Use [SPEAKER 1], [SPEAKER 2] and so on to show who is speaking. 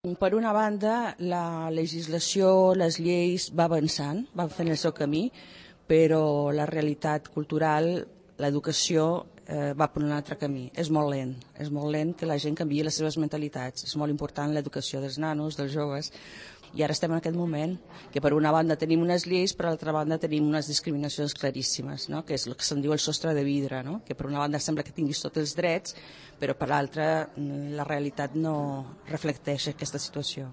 [SPEAKER 1] Per una banda, la legislació, les lleis va avançant, van fent el seu camí, però la realitat cultural, l'educació, va per un altre camí. És molt lent que la gent canviï les seves mentalitats. És molt important l'educació dels nanos, dels joves, i ara estem en aquest moment que per una banda tenim unes lleis, per l'altra banda tenim unes discriminacions claríssimes, no? Que és el que se'n diu el sostre de vidre, no? Que per una banda sembla que tinguis tots els drets, però per l'altra la realitat no reflecteix aquesta situació.